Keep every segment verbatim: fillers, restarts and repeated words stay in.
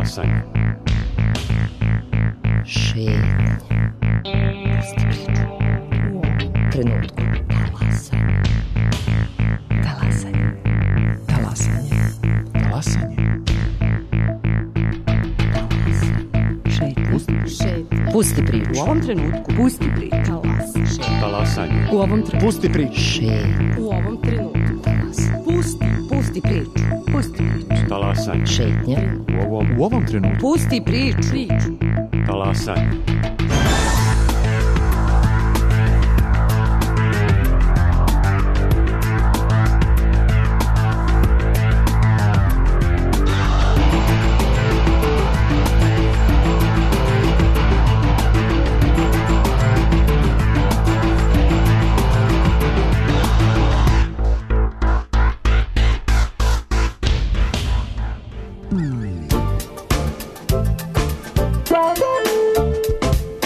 Talasanje. Šetnje. Pusti priču. U ovom trenutku. Talasanje. Talasanje. Talasanje. Talasanje. Šetnje. Pusti priču. U ovom trenutku. Pusti priču. Talasanje. U ovom trenutku. Pusti priču. Šetnje. U ovom trenutku. Pusti. Pusti priču. Pusti priču. Talasanje. Šetnje. U ovom, U ovom trenutku. Pusti priču. talasanje.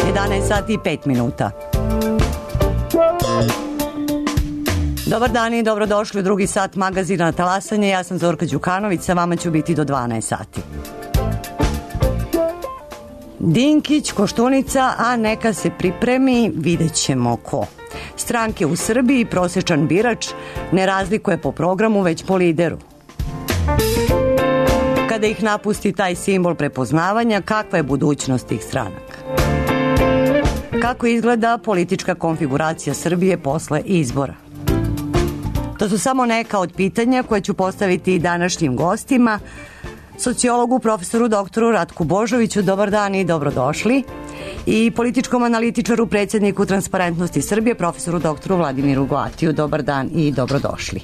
jedanaest sati i pet minuta. Dobar dan i dobrodošli u drugi sat magazina Talasanje. Ja sam Zorka Đukanović, sa vama ću biti do dvanaest sati. Dinkić, Koštunica, a neka se pripremi, vidjet ćemo ko. Stranke u Srbiji prosječan birač ne razlikuje po programu, već po lideru. Kada ih napusti taj simbol prepoznavanja, kakva je budućnost tih stranaka? Kako izgleda politička konfiguracija Srbije posle izbora? To su samo neka od pitanja koje ću postaviti i današnjim gostima. Sociologu, profesoru doktoru Ratku Božoviću, dobar dan i dobrodošli. I političkom analitičaru, predsjedniku Transparentnosti Srbije, profesoru doktoru Vladimiru Goatiju, dobar dan i dobrodošli.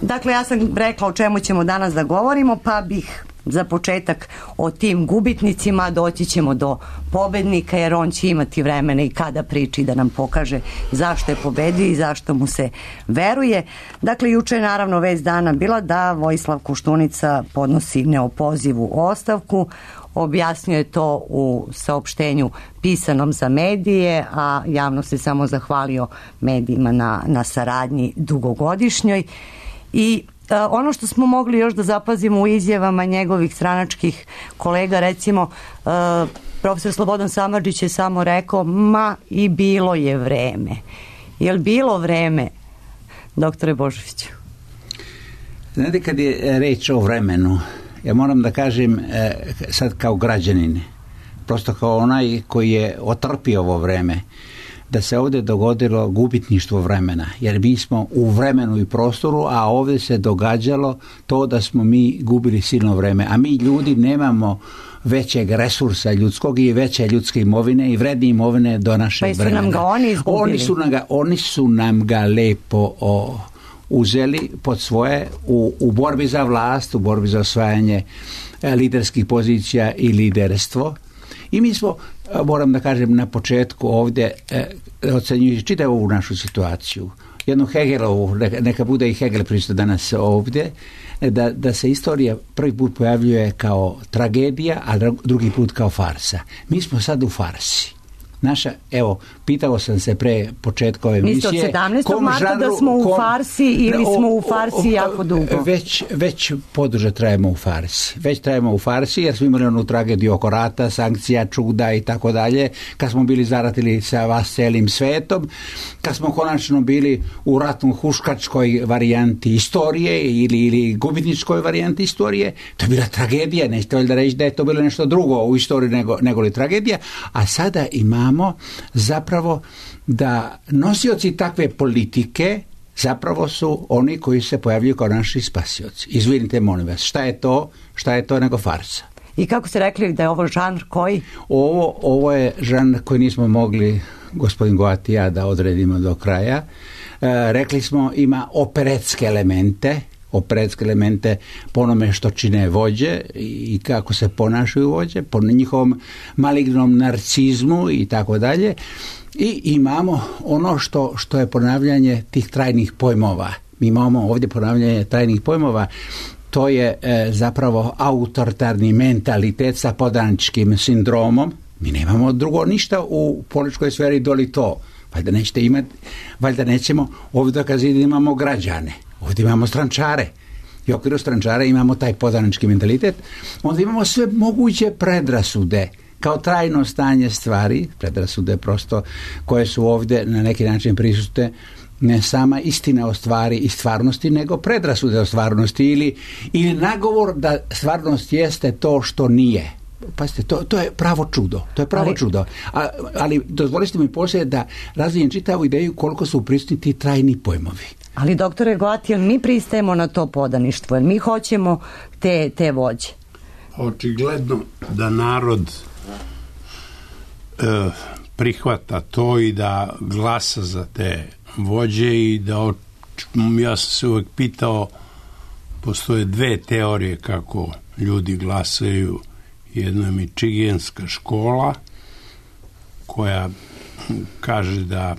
Dakle, ja sam rekla o čemu ćemo danas da govorimo, pa bih za početak o tim gubitnicima, doći ćemo do pobednika, jer on će imati vremena i kada priči da nam pokaže zašto je pobedio i zašto mu se veruje. Dakle, juče je naravno vest dana bila da Vojislav Koštunica podnosi neopozivu ostavku. Objasnio je to u saopštenju pisanom za medije, a javno se samo zahvalio medijima na, na saradnji dugogodišnjoj. I Uh, ono što smo mogli još da zapazimo u izjavama njegovih stranačkih kolega, recimo uh, profesor Slobodan Samardžić je samo rekao, ma i bilo je vreme. Je li bilo vreme, doktore Božoviću? Znate, kad je reč o vremenu, ja moram da kažem eh, sad kao građanin, prosto kao onaj koji je otrpio ovo vreme, da se ovdje dogodilo gubitništvo vremena, jer mi smo u vremenu i prostoru, a ovdje se događalo to da smo mi gubili silno vreme, a mi ljudi nemamo većeg resursa ljudskog i veće ljudske imovine i vredne imovine do našeg pa vremena. Nam ga oni izgubili. Oni su nam ga, oni su nam ga lepo o, uzeli pod svoje u, u borbi za vlast, u borbi za osvajanje e, liderskih pozicija i liderstvo. I mi smo, moram da kažem na početku ovdje, e, ocenjujući čitavu ovu našu situaciju, jednu Hegelovu, neka, neka bude i Hegel pristo danas ovdje, da, da se istorija prvi put pojavljuje kao tragedija, a drugi put kao farsa. Mi smo sad u farsi. Naša, evo, pitao sam se pre početka ove emisije. Mislite od sedamnaestog marta da smo u kom, farsi ili o, smo u farsi o, o, jako dugo? Već, već poduže trajemo u farsi. Već trajemo u farsi jer smo imali onu tragediju oko rata, sankcija, čuda i tako dalje. Kad smo bili zaratili sa vas celim svetom, kad smo konačno bili u ratno huškačkoj varijanti istorije ili, ili gubitničkoj varijanti istorije, to je bila tragedija. Nećete valjda reći da je to bilo nešto drugo u istoriji nego, nego li tragedija. A sada imamo zapravo da nosioci takve politike zapravo su oni koji se pojavljuju kao naši spasioci. Izvinite, molim vas, šta je to, šta je to nego farsa? I kako ste rekli da je ovo žanr koji? Ovo, ovo je žanr koji nismo mogli, gospodin Goati i ja, da odredimo do kraja. E, rekli smo ima operetske elemente, operetske elemente po onome što čine vođe i kako se ponašaju vođe, po njihovom malignom narcizmu i tako dalje. I imamo ono što, što je ponavljanje tih trajnih pojmova. Mi imamo ovdje ponavljanje trajnih pojmova. To je e, zapravo autoritarni mentalitet sa podaničkim sindromom. Mi nemamo drugo ništa u političkoj sferi doli to. Valjda nećete imati, valjda nećemo ovdje dokazati da imamo građane. Ovdje imamo strančare. i u okviru strančara imamo taj podanički mentalitet, onda imamo sve moguće predrasude kao trajno stanje stvari, predrasude prosto koje su ovdje na neki način prisutne, ne sama istina o stvari i stvarnosti, nego predrasude o stvarnosti ili, ili nagovor da stvarnost jeste to što nije. Pazite, to, to je pravo čudo. To je pravo ali, čudo. A, ali dozvolite mi poslije da razvijem čitavu ideju koliko su prisutni ti trajni pojmovi. Ali doktore Goati, jel mi pristajemo na to podaništvo? Jel mi hoćemo te, te vođe? Očigledno da narod e, prihvata to i da glasa za te vođe i da oč... ja sam se uvijek pitao, postoje dve teorije kako ljudi glasaju. Jedna je mičigenska škola koja kaže da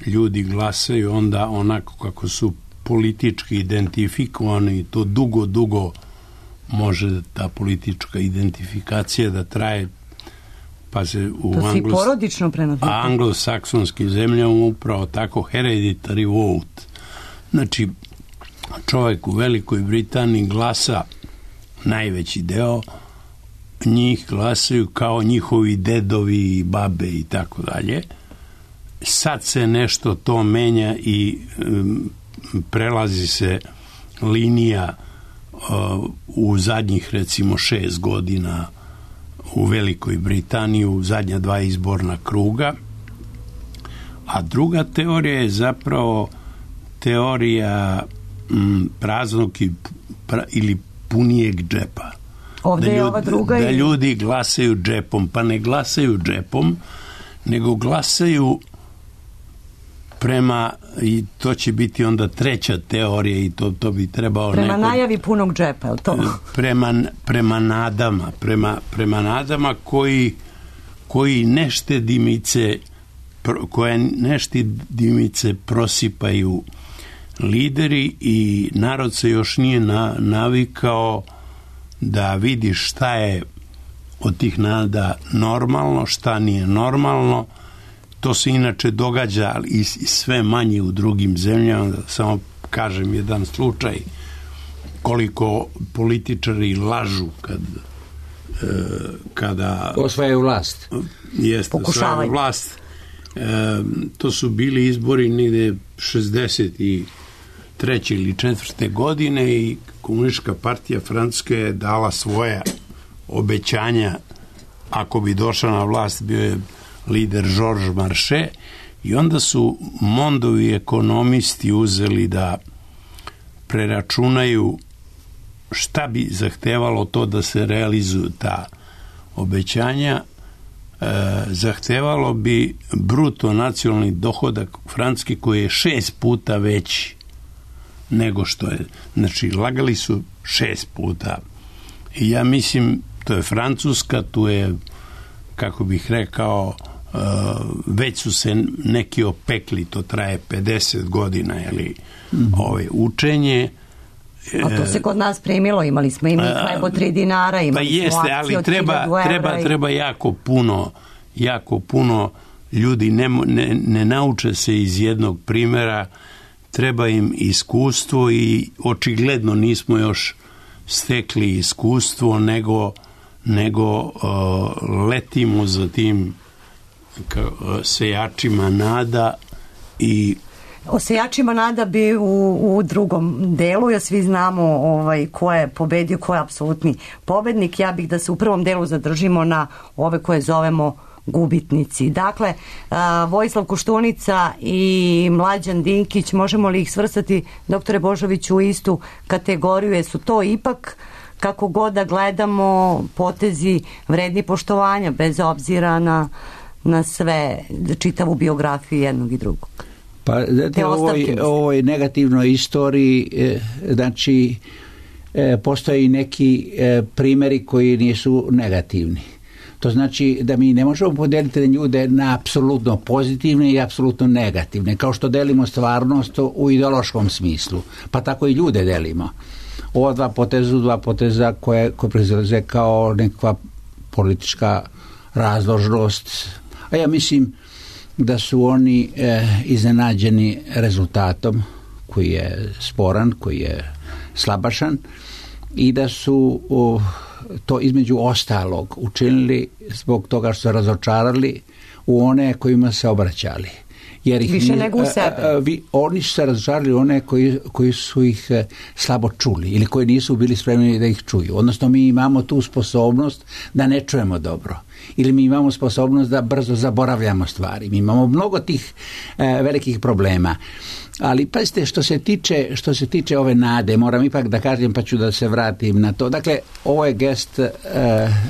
ljudi glasaju onda onako kako su politički identifikovani i to dugo, dugo može ta politička identifikacija da traje, pa se u to si porodično prenosi. Anglosaksonskim zemljama upravo tako hereditary vote. Znači, čovjek u Velikoj Britaniji glasa, najveći deo njih glasaju kao njihovi dedovi i babe i tako dalje. Sad se nešto to menja i um, prelazi se linija uh, u zadnjih recimo šest godina u Velikoj Britaniji u zadnja dva izborna kruga. A druga teorija je zapravo teorija um, praznog i, pra, ili punijeg džepa. Ovdje da, ljudi, je ova druga da i... ljudi glasaju džepom, pa ne glasaju džepom, nego glasaju prema, i to će biti onda treća teorija i to, to bi trebao prema neko, najavi punog džepa, je li to? Prema, prema nadama, prema, prema nadama koji, koji neštedimice, koje neštedimice prosipaju lideri i narod se još nije na, navikao da vidi šta je od tih nada normalno, šta nije normalno. To se inače događa i sve manje u drugim zemljama. Samo kažem jedan slučaj koliko političari lažu kad e, kada osvajaju vlast. Jeste, osvajaju vlast. E, to su bili izbori negde šezdeset treće ili četvrte godine i Komunistička partija Francuske je dala svoja obećanja. Ako bi došla na vlast, bio je lider Georges Marchais i onda su Mondovi ekonomisti uzeli da preračunaju šta bi zahtevalo to da se realizuju ta obećanja. E, zahtevalo bi bruto nacionalni dohodak Francuske koji je šest puta veći nego što je. Znači, lagali su šest puta. I ja mislim, to je Francuska, tu je, kako bih rekao, uh, već su se neki opekli, to traje pedeset godina, jeli, mm-hmm. ove, učenje. A to se kod nas primilo, imali smo i mi hleb od tri dinara, imali pa jeste, smo akcije od treba, treba, i... treba jako puno, jako puno ljudi ne, ne, ne nauče se iz jednog primjera, treba im iskustvo i očigledno nismo još stekli iskustvo, nego, nego uh, letimo za tim ka, uh, sejačima nada i o sejačima nada bi u, u drugom delu, ja svi znamo ovaj, ko je pobedio, ko je apsolutni pobednik. Ja bih da se u prvom delu zadržimo na ove koje zovemo gubitnici. Dakle, uh, Vojislav Koštunica i Mlađan Dinkić, možemo li ih svrstati, doktore Božoviću, u istu kategoriju? Jesu to ipak, kako god da gledamo, potezi vredni poštovanja, bez obzira na, na sve, čitavu biografiju jednog i drugog? Pa, znate, u ovoj, ovoj negativnoj istoriji, e, znači, e, postoje i neki e, primjeri koji nisu negativni. To znači da mi ne možemo podijeliti ljude na apsolutno pozitivne i apsolutno negativne, kao što delimo stvarnost u ideološkom smislu, pa tako i ljude delimo. Ova dva poteza, dva poteza koje, koje proizlaze kao nekakva politička razložnost, a ja mislim da su oni e, iznenađeni rezultatom koji je sporan, koji je slabašan i da su o, to između ostalog učinili zbog toga što su razočarali u one kojima se obraćali. Jer ih više nego u sebe. A, a, vi, oni su se razočarali one koji, koji su ih a, slabo čuli ili koji nisu bili spremni da ih čuju. Odnosno mi imamo tu sposobnost da ne čujemo dobro. Ili mi imamo sposobnost da brzo zaboravljamo stvari. Mi imamo mnogo tih a, velikih problema. Ali pazite, što se tiče što se tiče ove nade, moram ipak da kažem, pa ću da se vratim na to. Dakle, ovo je gest e,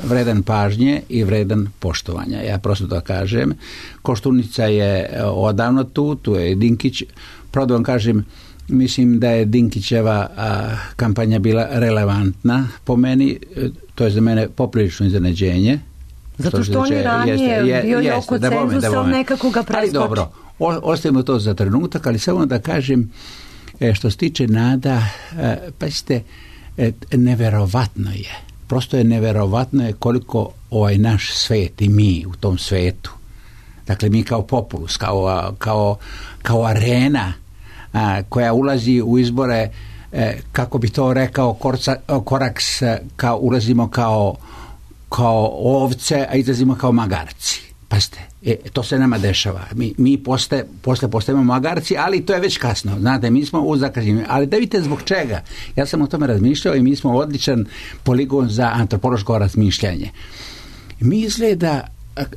vredan pažnje i vredan poštovanja. Ja prosto da kažem. Koštunica je odavno tu, tu je Dinkić. Pravo da vam kažem, mislim da je Dinkićeva a, kampanja bila relevantna po meni. To je za mene poprilično iznenađenje. Zato što on je ranije je, bio je oko cenzusa, nekako ga preskoči. Ali dobro, o, ostavimo to za trenutak, ali samo da kažem, e, što se tiče nada, e, pazite, e, neverovatno je, prosto je neverovatno je koliko ovaj naš svet i mi u tom svetu, dakle mi kao populus, kao, kao, kao arena a, koja ulazi u izbore, e, kako bi to rekao Korca, Koraks, kao ulazimo kao kao ovce, a izlazimo kao magarci. Pazite, e, to se nama dešava. Mi, mi poste, posle postajemo magarci, ali to je već kasno. Znate, mi smo u zakažnjenju. Ali da vidite zbog čega. Ja sam o tome razmišljao i mi smo odličan poligon za antropološko razmišljanje. Mi izgleda,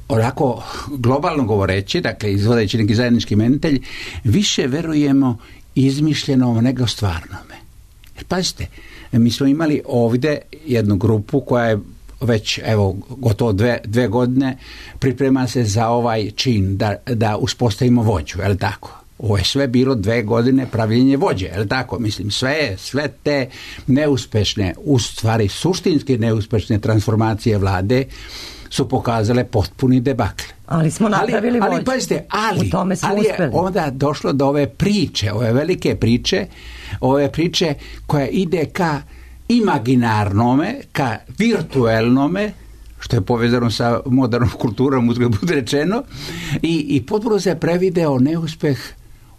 onako globalno govoreći, dakle izvodeći neki zajednički imenitelj, više verujemo izmišljenom nego stvarnome. Jer pazite, mi smo imali ovdje jednu grupu koja je već evo gotovo dve, dve godine priprema se za ovaj čin da, da uspostavimo vođu, je li tako? Ovo je sve bilo dve godine pravljenje vođe, je li tako? Mislim, sve, sve te neuspešne, u stvari suštinski neuspešne transformacije vlade su pokazale potpuni debakl. Ali smo napravili ali, vođu. Ali pazite, ali, u tome smo ali je uspeli. Onda došlo do ove priče, ove velike priče, ove priče koja ide ka imaginarnome, ka virtuelnome, što je povezano sa modernom kulturom, uzgled bude rečeno, i, i potpuno se prevideo neuspeh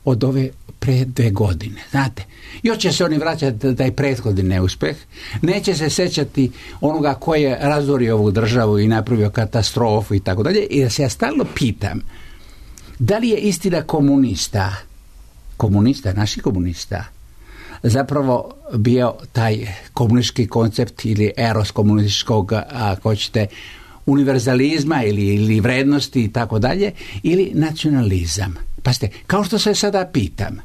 od ove pre dve godine. Znate, još će se oni vraćati da taj prethodni neuspeh, neće se sećati onoga ko je razorio ovu državu i napravio katastrofu i tako dalje, i da se ja stalno pitam, da li je istina komunista, komunista, naši komunista, zapravo bio taj komunistički koncept ili eros komunističkog, ako hoćete, univerzalizma ili, ili vrednosti i tako dalje, ili nacionalizam. Pazite, kao što se sada pitam,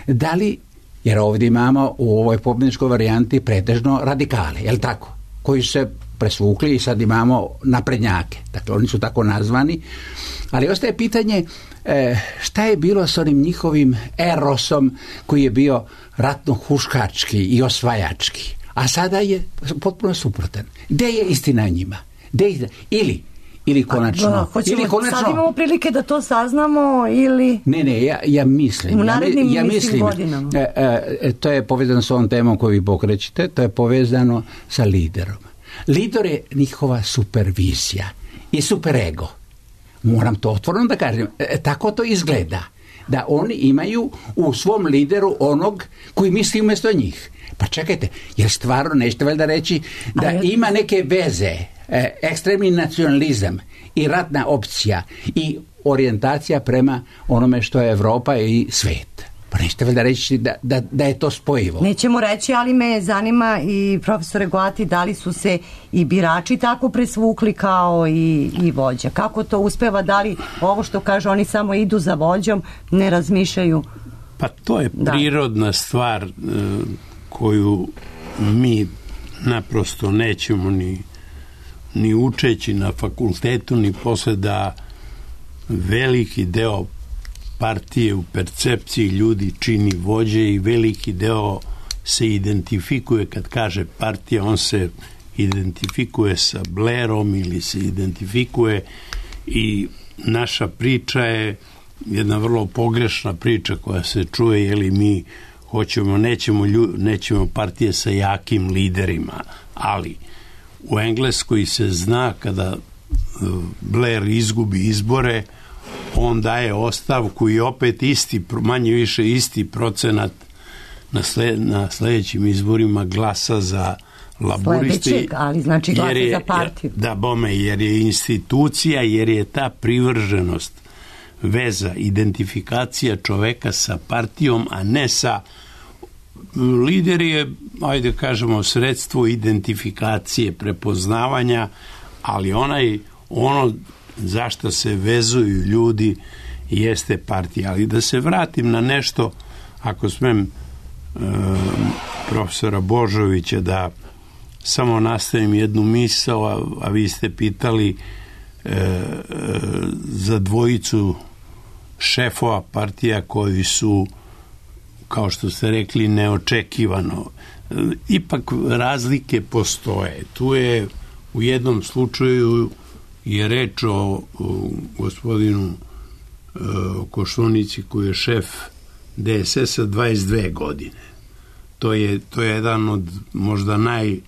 da li, jer ovdje imamo u ovoj pobjedničkoj varijanti pretežno radikale, je li tako? Koji se presvukli i sad imamo naprednjake. Dakle, oni su tako nazvani. Ali ostaje pitanje e, šta je bilo s onim njihovim erosom koji je bio ratno-huškački i osvajački. A sada je potpuno suprotan. Gde je istina o njima? Gde je istina? Ili Ili konačno. Da, hoćemo, ili konačno. Sad imamo prilike da to saznamo ili... Ne, ne, ja, ja mislim. U narednim ja, ja mislim, godinama. E, e, to je povezano s ovom temom koju vi pokrećete, to je povezano sa liderom. Lider je njihova supervizija i superego. Moram to otvoreno da kažem. E, tako to izgleda. Da oni imaju u svom lideru onog koji misli umjesto njih. Pa čekajte, jer stvarno nećete valjda reći da ja... ima neke veze, e, ekstremni nacionalizam i ratna opcija i orijentacija prema onome što je Evropa i svet. Pa nećete valjda reći da, da, da je to spojivo. Nećemo reći, ali me zanima i profesore Goati, da li su se i birači tako presvukli kao i, i vođa. Kako to uspeva, da li ovo što kaže oni samo idu za vođom, ne razmišljaju? Pa to je prirodna da. stvar koju mi naprosto nećemo ni, ni učeći na fakultetu, ni posle, da veliki deo partije u percepciji ljudi čini vođe i veliki deo se identifikuje, kad kaže partija, on se identifikuje sa Blairom ili se identifikuje, i naša priča je jedna vrlo pogrešna priča koja se čuje, je li mi hoćemo, nećemo, nećemo partije sa jakim liderima, ali u Engleskoj se zna kada Blair izgubi izbore, on daje ostavku i opet isti, manje više isti procenat na, sled, na sledećim izborima glasa za laburisti. Sledećeg, ali znači glasa je, za partiju. Da, bome, jer je institucija, jer je ta privrženost, veza, identifikacija čoveka sa partijom, a ne sa... Lider je, ajde kažemo, sredstvo identifikacije, prepoznavanja, ali onaj, ono zašto se vezuju ljudi jeste partija. Ali da se vratim na nešto, ako smem, e, profesora Božovića, da samo nastavim jednu misao, a, a vi ste pitali e, e, za dvojicu šefova partija koji su, kao što ste rekli, neočekivano. Ipak razlike postoje. Tu je u jednom slučaju je reč o, o gospodinu e, Koštunici koji je šef D S S-a dvadeset dve godine. To je, to je jedan od možda najduže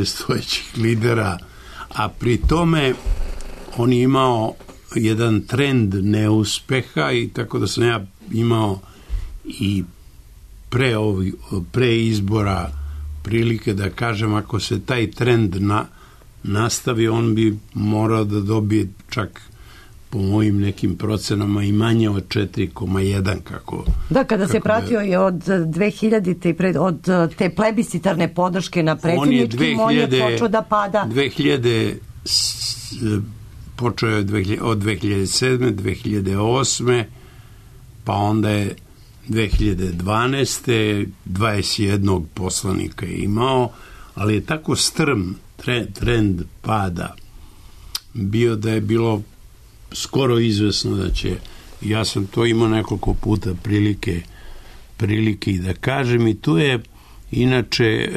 stojećih lidera, a pri tome on je imao jedan trend neuspeha i tako da sam ja imao i pre, ovi, pre izbora prilike da kažem, ako se taj trend na, nastavi, on bi morao da dobije čak po mojim nekim procenama i manje od četiri zarez jedan kako... Da, kada kako se pratio je od dve hiljadite i pred, od te plebiscitarne podrške na predsjedničkim, on je počeo da pada. dve hiljade počeo je od dve hiljade sedme, dve hiljade osme, pa onda je dve hiljade dvanaeste dvadeset jednog poslanika je imao, ali je tako strm trend pada bio da je bilo skoro izvesno da će, ja sam to imao nekoliko puta prilike prilike i da kažem, i tu je inače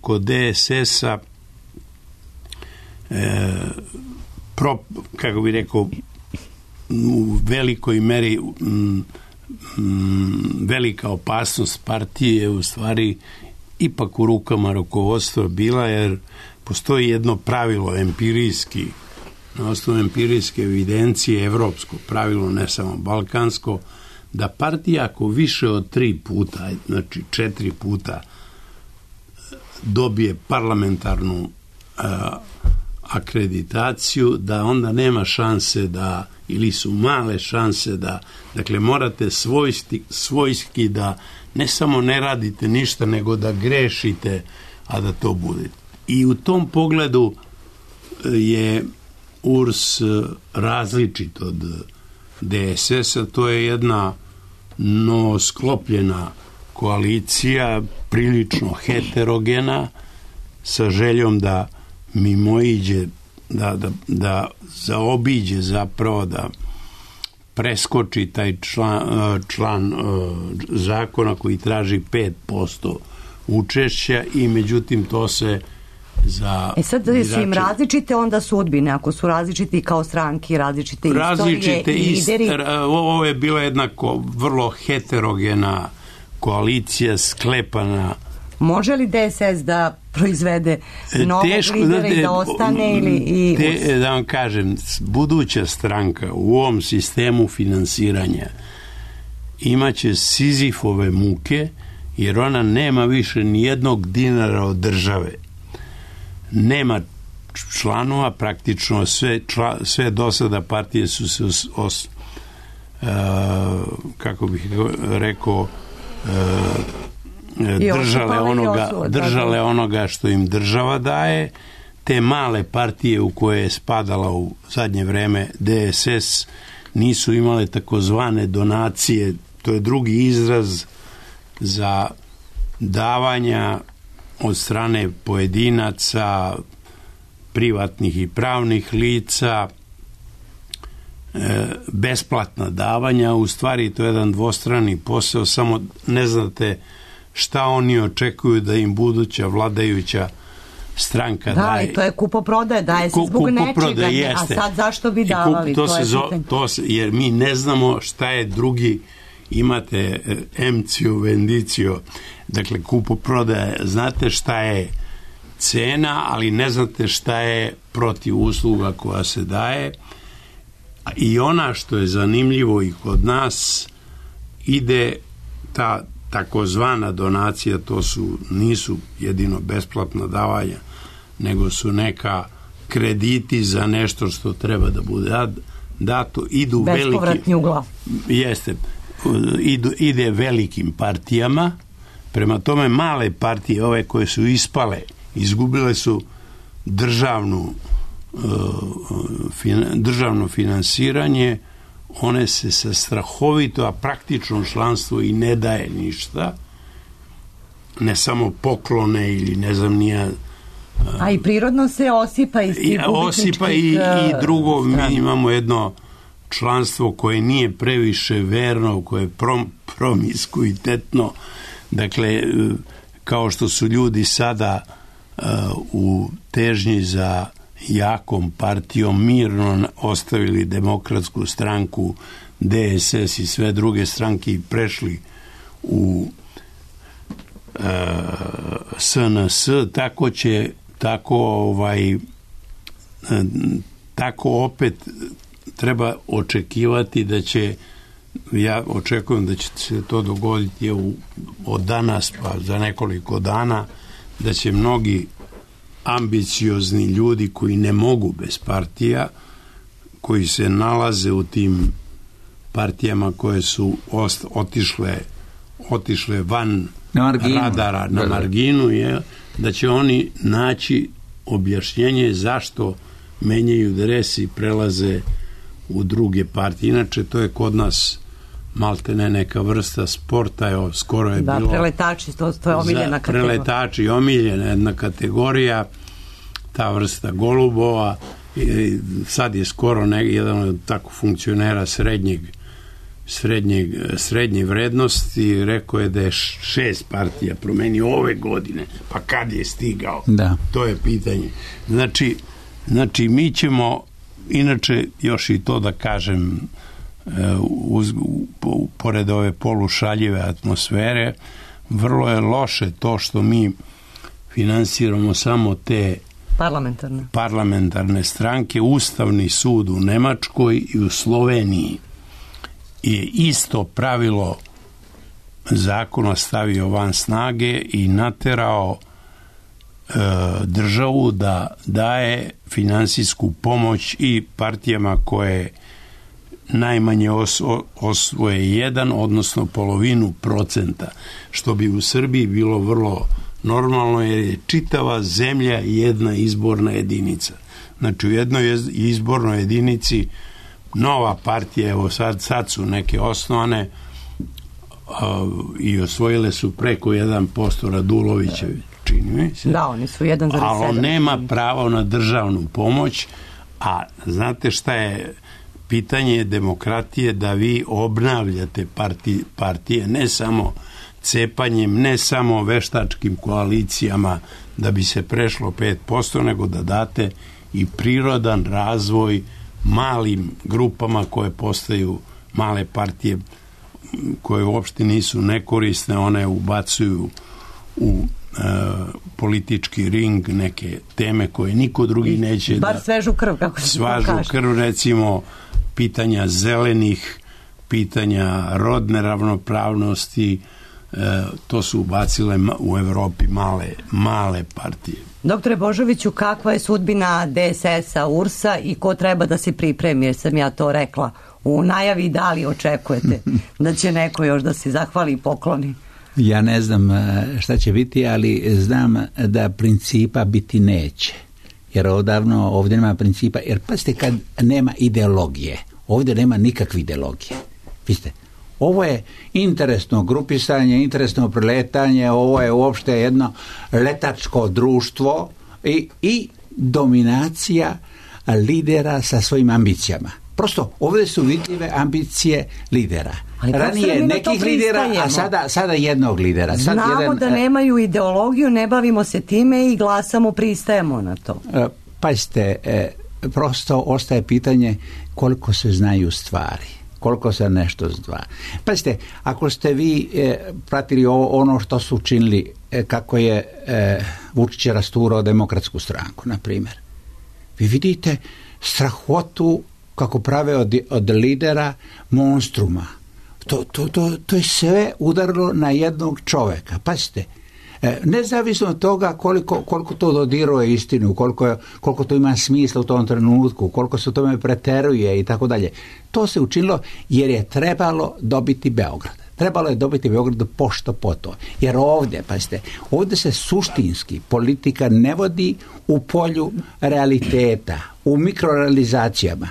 kod D S S-a e, pro, kako bi rekao, u velikoj meri m, m, velika opasnost partije je u stvari ipak u rukama rukovodstva bila, jer postoji jedno pravilo empirijski, na osnovu empirijske evidencije, evropsko pravilo, ne samo balkansko, da partija ako više od tri puta, znači četiri puta dobije parlamentarnu a, akreditaciju, da onda nema šanse da, ili su male šanse da, dakle morate svojski, svojski da ne samo ne radite ništa, nego da grešite, a da to bude. I u tom pogledu je U R S različit od D S S-a, to je jedna novosklopljena koalicija, prilično heterogena, sa željom da mimoiđe, da, da, da zaobiđe zapravo, da preskoči taj član, član zakona koji traži pet posto učešća i međutim to se za e sad birače... su im različite onda sudbine, ako su različiti kao stranki, različite, različite istorije i lideri. Ist, ovo je bila jedna ko, vrlo heterogena koalicija sklepana. Može li D S S da proizvede novog Teško, lidera i da ostane ili i te, da vam kažem, buduća stranka u ovom sistemu finansiranja imaće Sizifove muke, jer ona nema više ni jednog dinara od države. Nema članova, praktično sve, čla, sve do sada partije su se os, os, uh, kako bih rekao uh, držale onoga, držale onoga što im država daje. Te male partije u koje je spadala u zadnje vreme D S S nisu imale takozvane donacije, to je drugi izraz za davanja od strane pojedinaca, privatnih i pravnih lica, e, besplatna davanja. U stvari to je jedan dvostrani posao, samo ne znate šta oni očekuju da im buduća vladajuća stranka da, daje. Da, i to je kupoprodaje, daje se zbog nečega, a sad zašto bi davali? To, to, to, se je zo, to se, jer mi ne znamo šta je drugi, imate emcio, vendicio, dakle kupoprodaje, znate šta je cena, ali ne znate šta je protiv usluga koja se daje. I ona što je zanimljivo i kod nas ide ta takozvana donacija, to su, nisu jedino besplatna davanja, nego su neka krediti za nešto što treba da bude dato, idu bespovratni u glavu. Jeste, idu, ide velikim partijama, prema tome male partije, ove koje su ispale, izgubile su državnu, državno finansiranje, one se sa strahovito, a praktično članstvo i ne daje ništa, ne samo poklone ili ne znam nija. A i prirodno se osipa iz tih osipa i, i drugo, mi imamo jedno članstvo koje nije previše verno, koje je prom, promiskuitetno, dakle, kao što su ljudi sada uh, u težnji za jakom partijom mirno ostavili Demokratsku stranku, D S S i sve druge stranke i prešli u uh, S N S, tako će tako ovaj tako opet treba očekivati da će, ja očekujem da će se to dogoditi u, od danas pa za nekoliko dana, da će mnogi ambiciozni ljudi koji ne mogu bez partija, koji se nalaze u tim partijama koje su ost, otišle otišle van na radara, na marginu, je, da će oni naći objašnjenje zašto menjaju dres i prelaze u druge partije. Inače, to je kod nas maltene neka vrsta sporta, evo, skoro je da, bilo... Da, preletači, to, to je omiljena kategorija. Preletači, omiljena jedna kategorija, ta vrsta golubova, i sad je skoro ne, jedan od tako funkcionera srednjeg Srednje, srednje vrednosti, rekao je da je šest partija promenio ove godine, pa kad je stigao? Da. To je pitanje. Znači, znači mi ćemo, inače još i to da kažem, uz, pored ove polušaljive atmosfere, vrlo je loše to što mi finansiramo samo te parlamentarne, parlamentarne stranke. Ustavni sud u Nemačkoj i u Sloveniji je isto pravilo zakona stavio van snage i naterao e, državu da daje finansijsku pomoć i partijama koje najmanje os, osvoje jedan, odnosno polovinu procenta, što bi u Srbiji bilo vrlo normalno, jer je čitava zemlja jedna izborna jedinica. Znači u jednoj izbornoj jedinici nova partija, evo sad, sad su neke osnovane uh, i osvojile su preko jedan posto Radulovićevi, čini mi se. Da, oni su jedan zarez sedam. Ali on nema pravo na državnu pomoć, a znate šta je pitanje demokratije, da vi obnavljate partije, partije ne samo cepanjem, ne samo veštačkim koalicijama da bi se prešlo pet posto, nego da date i prirodan razvoj malim grupama koje postaju male partije koje uopšte nisu nekorisne, one ubacuju u e, politički ring neke teme koje niko drugi neće bar da... svežu krv, kako se svažu kaže. krv, recimo pitanja zelenih, pitanja rodne ravnopravnosti, e, to su ubacile u Evropi male, male partije. Doktore Božoviću, kakva je sudbina D S S-a, U R S-a i ko treba da se pripremi, jer sam ja to rekla u najavi, da li očekujete da će neko još da se zahvali i pokloni? Ja ne znam šta će biti, ali znam da principa biti neće. Jer odavno ovdje nema principa, jer pazite, kad nema ideologije, ovdje nema nikakve ideologije. Vidite, ovo je interesno grupisanje, interesno preletanje, ovo je uopšte jedno letačko društvo i, i dominacija lidera sa svojim ambicijama. Prosto, ovdje su vidljive ambicije lidera. Ranije nekih lidera, a sada, sada jednog lidera. Sad Znamo jedan, da nemaju ideologiju, ne bavimo se time i glasamo, pristajemo na to. Pazite, prosto ostaje pitanje koliko se znaju stvari. Koliko se nešto zdva. Pazite, ako ste vi e, pratili ovo, ono što su učinili, e, kako je e, Vučić rasturao Demokratsku stranku, na primjer. Vi vidite strahotu kako prave od, od lidera monstruma. To, to, to, to je sve udarilo na jednog čoveka. Pazite, nezavisno od toga koliko, koliko to dodiruje istinu, koliko, koliko to ima smisla u tom trenutku, koliko se u tome preteruje i tako dalje. To se učinilo jer je trebalo dobiti Beograd. Trebalo je dobiti Beograd pošto poto. Jer ovdje, pazite, ovdje se suštinski politika ne vodi u polju realiteta, u mikrorealizacijama,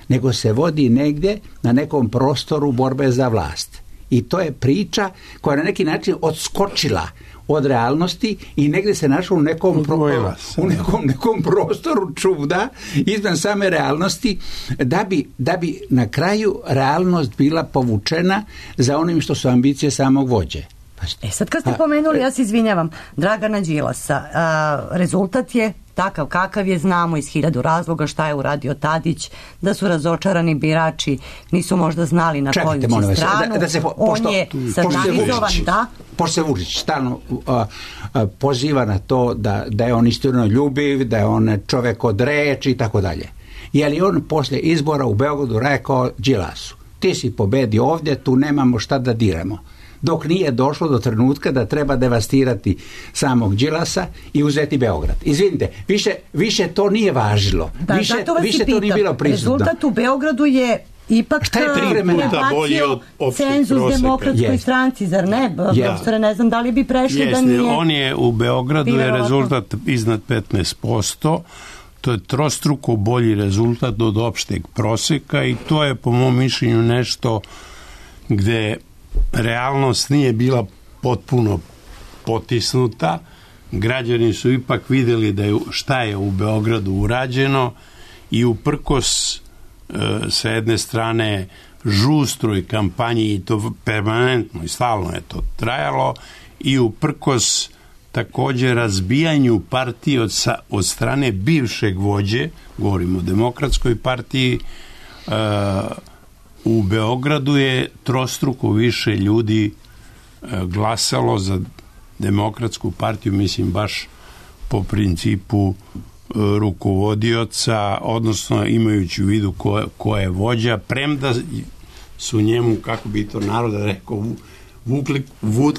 nego se vodi negdje na nekom prostoru borbe za vlast. I to je priča koja je na neki način odskočila od realnosti i negdje se našao u nekom, pro, u nekom, nekom prostoru čuda izvan same realnosti da bi, da bi na kraju realnost bila povučena za onim što su ambicije samog vođe. E sad kad ste pomenuli, ja se izvinjavam, Dragana Đilasa, a, rezultat je takav kakav je, znamo iz hiljadu razloga šta je uradio Tadić, da su razočarani birači, nisu možda znali na koju će stranu. Da, da se po, on pošto, je satanizovan, da. Pošto se Vučić stalno uh, uh, poziva na to da, da je on istinno ljubiv, da je on čovjek od reči i tako dalje. Je li on poslije izbora u Beogradu rekao Đilasu, ti si pobedio ovdje, tu nemamo šta da diramo. Dok nije došlo do trenutka da treba devastirati samog Đilasa i uzeti Beograd. Izvinite, više, više to nije važilo. Da, više više to nije bilo prisutno. Rezultat u Beogradu je ipak šta je prebacio cenzus demokratskoj yes. stranci, zar ne? Yeah. Ne znam da li bi prešli yes, da nije... On je u Beogradu je rezultat iznad petnaest posto. To je trostruko bolji rezultat od opšteg proseka i to je po mom mišljenju nešto gde realnost nije bila potpuno potisnuta. Građani su ipak vidjeli da je, šta je u Beogradu urađeno i uprkos e, sa jedne strane žustroj kampanji, i to permanentno i stalno je to trajalo, i uprkos također razbijanju partije od, sa, od strane bivšeg vođe, govorimo o Demokratskoj partiji, e, u Beogradu je trostruko više ljudi glasalo za Demokratsku partiju, mislim baš po principu rukovodioca, odnosno imajući u vidu ko, ko je vođa, premda su njemu, kako bi to narod rekao, vukli,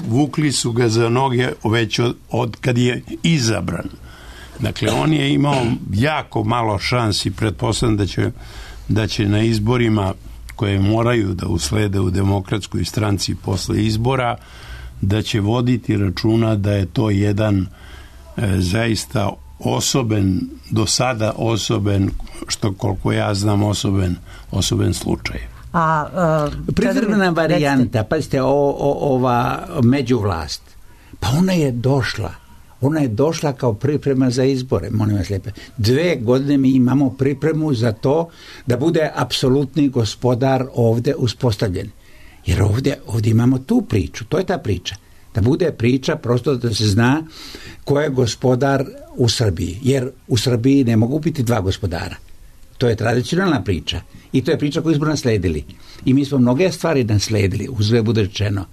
vukli su ga za noge već od, od kad je izabran. Dakle, on je imao jako malo šansi, pretpostavljam da će, da će na izborima koje moraju da uslede u Demokratskoj stranci posle izbora, da će voditi računa da je to jedan e, zaista osoben, do sada osoben, što koliko ja znam, osoben, osoben slučaj. A, uh, Privremena varijanta, pazite, o, o, ova međuvlast, pa ona je došla. Ona je došla kao priprema za izbore, molim vas lijepo. Dve godine mi imamo pripremu za to da bude apsolutni gospodar ovdje uspostavljen. Jer ovdje, ovdje imamo tu priču, to je ta priča. Da bude priča prosto da se zna ko je gospodar u Srbiji. Jer u Srbiji ne mogu biti dva gospodara. To je tradicionalna priča. I to je priča koju smo nasledili. I mi smo mnoge stvari nasledili, uzve bude rečeno.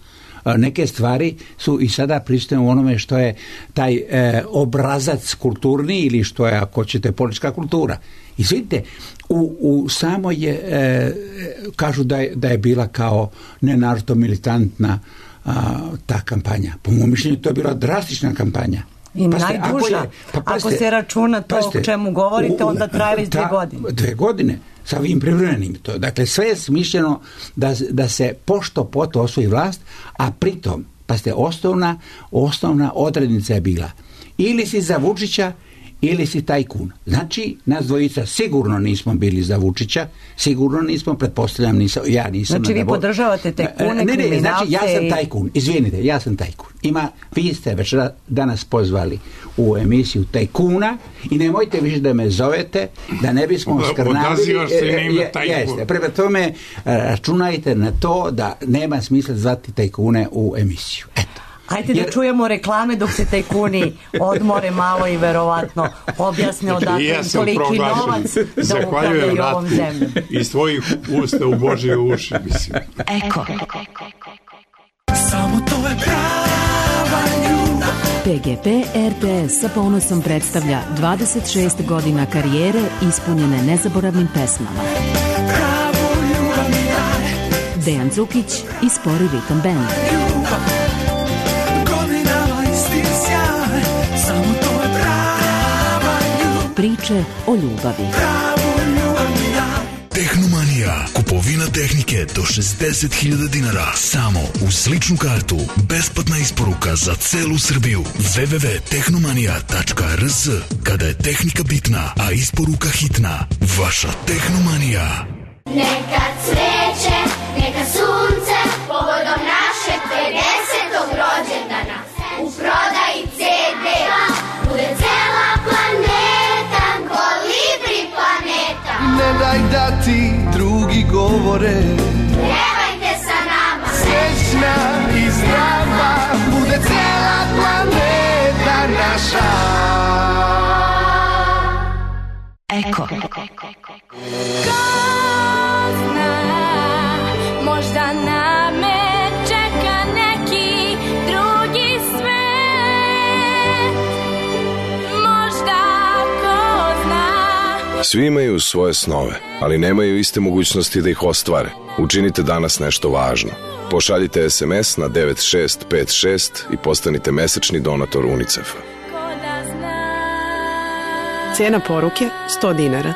Neke stvari su i sada prisutne u onome što je taj e, obrazac kulturni ili što je, ako ćete, politička kultura. I vidite, u, u samo je, e, kažu da je, da je bila kao nenaročito militantna a, ta kampanja. Po mom mišljenju to je bila drastična kampanja. I paste, najduža. Ako, je, pa paste, ako se računa to paste, o čemu govorite, u, onda traje već dve godine. Dve godine. Sa ovim privremenim to. Dakle, sve je smišljeno da, da se pošto poto osvoji vlast, a pritom, pa ste osnovna, osnovna odrednica je bila ili si za Vučića ili si tajkun. Znači, nas dvojica sigurno nismo bili za Vučića, sigurno nismo, pretpostavljam, nisam, ja nisam. Znači, vi podržavate tajkune, ne, ne, znači, ja sam tajkun, izvinite, ja sam tajkun. Ima, vi ste već danas pozvali u emisiju tajkuna i nemojte više da me zovete, da ne bismo skrnavili. Odazivaš se na ime tajkun. Jeste, prema tome, računajte na to da nema smisla zvati tajkune u emisiju. Eto. Ajde da Jer... čujemo reklame dok se tajkuni odmore malo i verovatno objasne odakle ja im toliki novac da upravljaju ovom zemljom. Iz tvojih usta u Božje uši, mislim. Eko. Samo to je prava ljubav. P G P R T S sa ponosom predstavlja dvadeset šest godina karijere ispunjene nezaboravnim pesmama. Pravu ljubav mi daje. Dejan Cukić i Spori ritam band. Godinama isti sjaj, samo to je prava ljubav. Priče o ljubavi. Pravu ljubav mi daj. Tehnomanija. Kupovina tehnike do šezdeset hiljada dinara. Samo uz ličnu kartu. Besplatna isporuka za celu Srbiju. w w w tačka tehnomanija tačka r s. Kada je tehnika bitna, a isporuka hitna. Vaša Tehnomanija. Neka cveće, neka sunce, povodom našeg pedesetog rođendana. U prodaji ce de bude cela planeta, Kolibri planeta. Ne daj da ti drugi govore, Pevajte sa nama, srećna i zdrava, bude cela planeta naša. Eko. možda na me čeka neki drugi svet, možda ko zna. Svi imaju svoje snove, ali nemaju iste mogućnosti da ih ostvare. Učinite danas nešto važno. Pošaljite es em es na devet šest pet šest i postanite mesečni donator UNICEF-a. Cijena poruke sto dinara.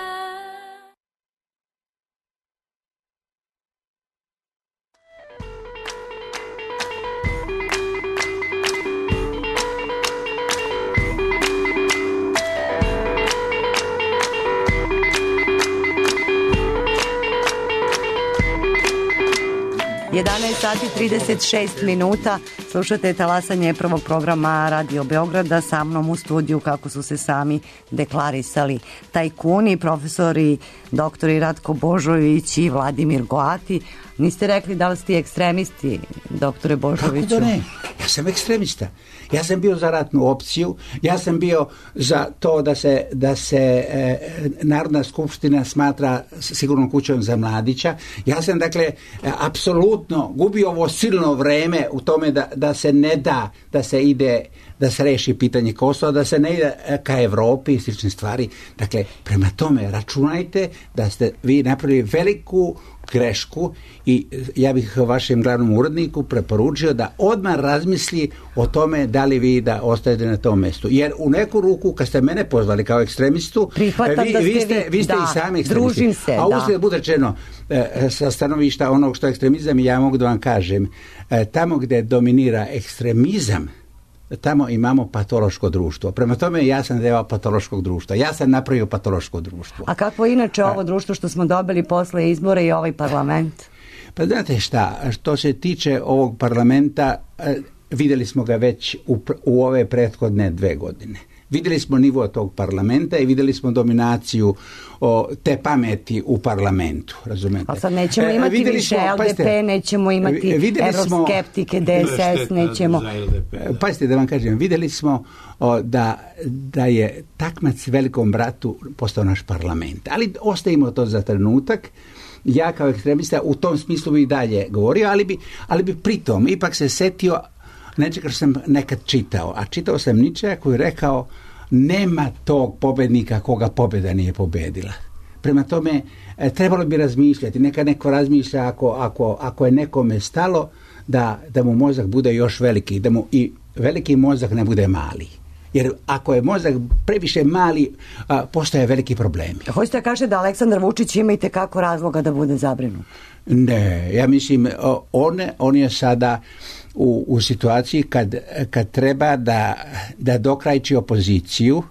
jedanaest sati trideset šest minuta. Slušate talasanje prvog programa Radio Beograda. Sa mnom u studiju, kako su se sami deklarisali, tajkuni, profesori doktori Ratko Božović i Vladimir Goati. Niste rekli da li ste ekstremisti, doktore Božoviću? Kako da ne? Ja sam ekstremista. Ja sam bio za ratnu opciju, ja sam bio za to da se, da se e, Narodna skupština smatra sigurnom kućom za Mladića. Ja sam, dakle, e, apsolutno gubio ovo silno vreme u tome da, da se ne da, da se ide, da se reši pitanje Kosova, da se ne ide ka Evropi i slične stvari. Dakle, prema tome, računajte da ste vi napravili veliku grešku i ja bih vašem glavnom uredniku preporučio da odmah razmisli o tome da li vi da ostajete na tom mjestu. Jer u neku ruku, kad ste mene pozvali kao ekstremistu, vi, vi, ste, vi ste da, i sami ekstremisti. Se, a uzgled da bude rečeno sa stanovišta onog što je ekstremizam, i ja mogu da vam kažem, tamo gdje dominira ekstremizam, tamo imamo patološko društvo. Prema tome, ja sam deo patološkog društva. Ja sam napravio patološko društvo. A kako je inače ovo društvo što smo dobili posle izbora i ovaj parlament? Pa znate šta, što se tiče ovog parlamenta, vidjeli smo ga već u, u ove prethodne dve godine. Vidjeli smo nivo tog parlamenta i vidjeli smo dominaciju o, te pameti u parlamentu, razumete? Ali sad nećemo imati e, više smo, el de pe, pazite, nećemo imati evroskeptike, de es es, nećemo... Pazite da vam kažem, vidjeli smo o, da, da je takmac velikom bratu postao naš parlament. Ali ostavimo to za trenutak. Ja kao ekstremista u tom smislu bi i dalje govorio, ali bi, ali bi pritom ipak se setio nečega što sam nekad čitao, a čitao sam Ničeja koji je rekao nema tog pobednika koga pobjeda nije pobedila. Prema tome, trebalo bi razmišljati, neka neko razmišlja ako, ako, ako je nekome stalo da, da mu mozak bude još veliki, da mu i veliki mozak ne bude mali. Jer ako je mozak previše mali, a, postoje veliki problemi. Hoćete da kažete da Aleksandar Vučić ima i tekako razloga da bude zabrinut? Ne, ja mislim, on, on je sada u, u situaciji kad, kad treba da, da dokrajči opoziciju.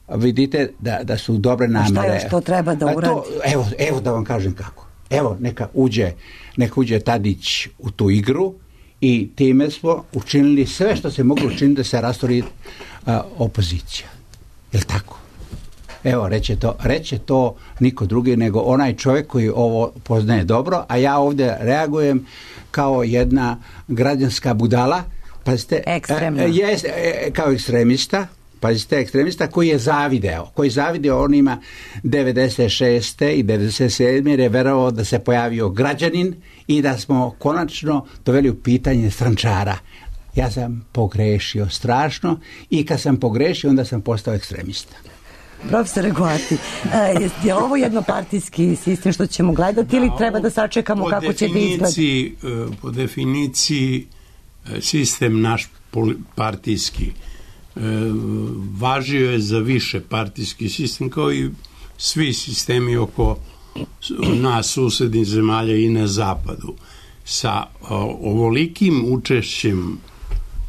Vidite da, da su dobre namere. A šta još to treba da uradi? To, evo, evo da vam kažem kako. Evo, neka uđe, neka uđe Tadić u tu igru i time smo učinili sve što se moglo učiniti da se rastori a, opozicija. Je li tako? Evo, reće to, reće to niko drugi nego onaj čovjek koji ovo poznaje dobro, a ja ovdje reagujem kao jedna građanska budala, pazite, ekstremno. E, je, e, kao ekstremista, pazite, ekstremista koji je zavideo, koji je zavideo onima devedeset šeste i devedeset sedme jer je verovao da se pojavio građanin i da smo konačno doveli u pitanje strančara. Ja sam pogrešio strašno i kad sam pogrešio onda sam postao ekstremista. Profesore Goati, je, je ovo jednopartijski sistem što ćemo gledati ili treba da sačekamo po kako će da izgleda? Po definiciji sistem naš partijski važio je za više partijski sistem kao i svi sistemi oko nas susednih zemalja i na zapadu. Sa ovolikim učešćem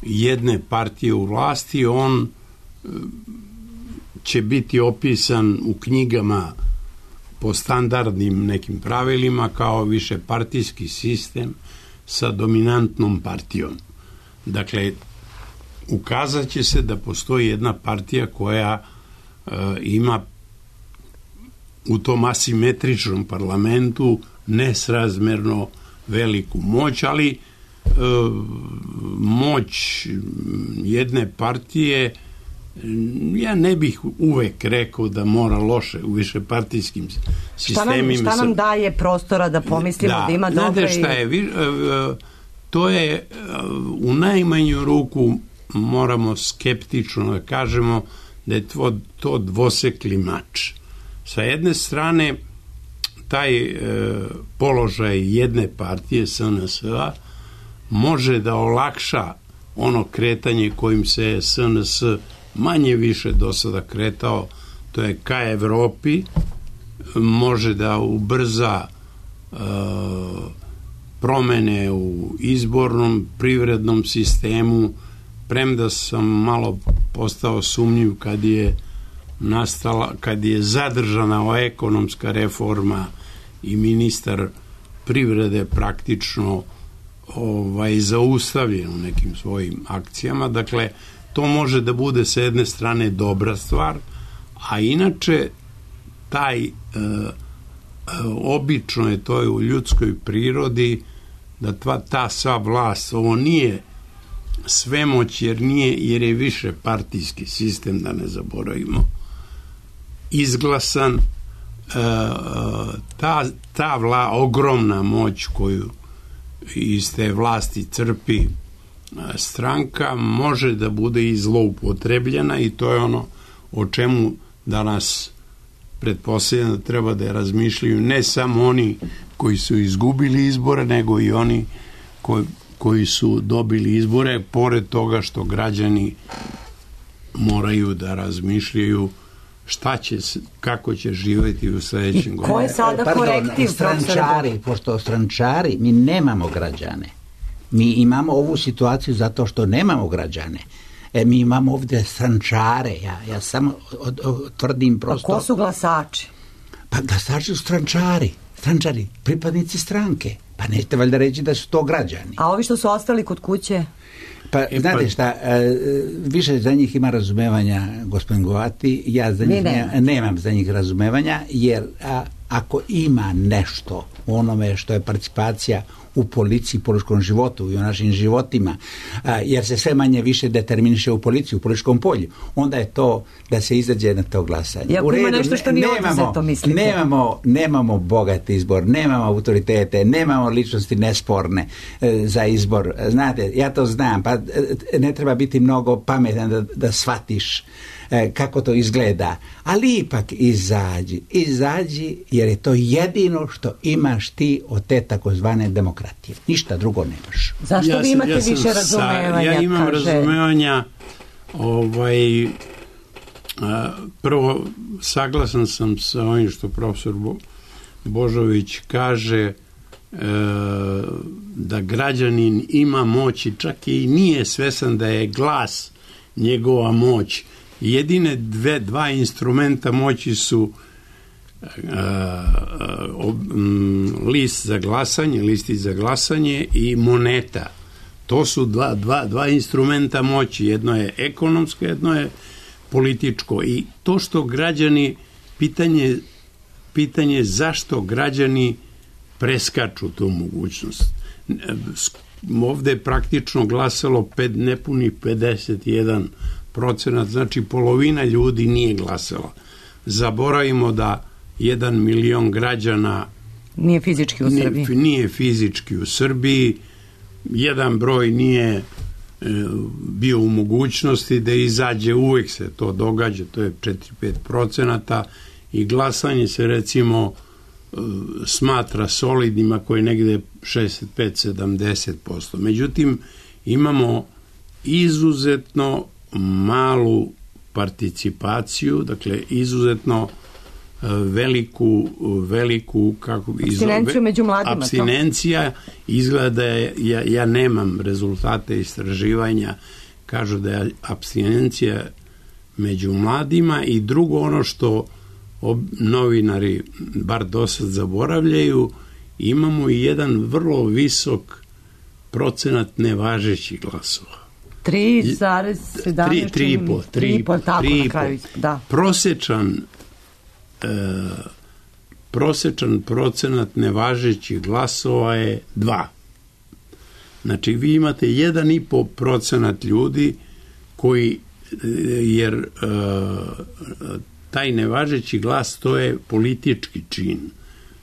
jedne partije u vlasti on će biti opisan u knjigama po standardnim nekim pravilima kao višepartijski sistem sa dominantnom partijom. Dakle, ukazat će se da postoji jedna partija koja e, ima u tom asimetričnom parlamentu nesrazmerno veliku moć, ali e, moć jedne partije ja ne bih uvek rekao da mora loše u višepartijskim sistemima. Šta nam, šta nam daje prostora da pomislimo da, da ima dobre? Znate šta je, to je u najmanju ruku moramo skeptično da kažemo da je to, to dvosekli mač. Sa jedne strane taj e, položaj jedne partije S N S-a može da olakša ono kretanje kojim se S N S manje više do sada kretao, to je ka Evropi, može da ubrza e, promene u izbornom privrednom sistemu, premda sam malo postao sumnjiv kad je nastala, kad je zadržana ova ekonomska reforma i ministar privrede praktično ovaj, zaustavljen u nekim svojim akcijama. Dakle, to može da bude sa jedne strane dobra stvar, a inače taj e, obično je to je u ljudskoj prirodi da ta, ta sva vlast, ovo nije svemoć jer, nije, jer je više partijski sistem, da ne zaboravimo, izglasan, e, ta, ta vla, ogromna moć koju iz te vlasti crpi stranka može da bude i zloupotrebljena i to je ono o čemu danas pretpostavljam da treba da razmišljaju ne samo oni koji su izgubili izbore, nego i oni koji, koji su dobili izbore, pored toga što građani moraju da razmišljaju šta će, kako će živjeti u sledećem godinu. Ko je sada Pardon, korektiv? Strančari, pošto strančari, mi nemamo građane. Mi imamo ovu situaciju zato što nemamo građane. E, mi imamo ovdje strančare. Ja, ja samo od, od, tvrdim prosto... A ko su glasači? Pa glasači su strančari. Strančari, pripadnici stranke. Pa nećete valjda reći da su to građani. A ovi što su ostali kod kuće? Pa, e, znate pa... šta, više za njih ima razumevanja, gospodin Goati, ja za njih ne, nemam za njih razumevanja, jer a, ako ima nešto u onome što je participacija u policiji, političkom životu i u našim životima, a, jer se sve manje više determiniše u policiji, u političkom polju, onda je to da se izađe na to glasanje. I ako ima nešto što nije odzeto, mislite? Nemamo, nemamo bogat izbor, nemamo autoritete, nemamo ličnosti nesporne e, za izbor. Znate, ja to znam, pa e, ne treba biti mnogo pametan da, da shvatiš e, kako to izgleda, ali ipak izađi, izađi jer je to jedino što imaš ti od te takozvane demokratije. Ništa drugo nemaš. Zašto ja vi imate ja više razumevanja? Ja imam kaže... razumevanja ovaj, a, prvo saglasan sam sa ovim što profesor Bo, Božović kaže e, da građanin ima moći, čak i nije svesan da je glas njegova moć. Jedine dve, dva instrumenta moći su uh, uh, um, list za glasanje, listi za glasanje i moneta. To su dva, dva, dva instrumenta moći. Jedno je ekonomsko, jedno je političko. I to što građani, pitanje, pitanje zašto građani preskaču tu mogućnost. Ovde je praktično glasalo pet, nepunih pedeset jedan procenat, znači polovina ljudi nije glasala. Zaboravimo da jedan milion građana nije fizički u Srbiji. Nije, nije fizički u Srbiji, jedan broj nije bio u mogućnosti da izađe, uvek se to događa, to je četiri do pet procenata i glasanje se recimo smatra solidnima koji je negde šezdeset pet do sedamdeset posto. Međutim, imamo izuzetno malu participaciju, dakle izuzetno veliku, veliku kako apstinenciju među mladima. Apstinencija izgleda, ja, ja nemam rezultate istraživanja, kažu da je apstinencija među mladima i drugo ono što ob, novinari bar do sad zaboravljaju, imamo i jedan vrlo visok procenat nevažećih glasova. tri zarez sedamnaest tri i po, tri i po, tako na kraju, da. Prosečan e, prosečan procenat nevažećih glasova je dva. Znači, vi imate jedan i po procenat ljudi koji, jer e, taj nevažeći glas, to je politički čin.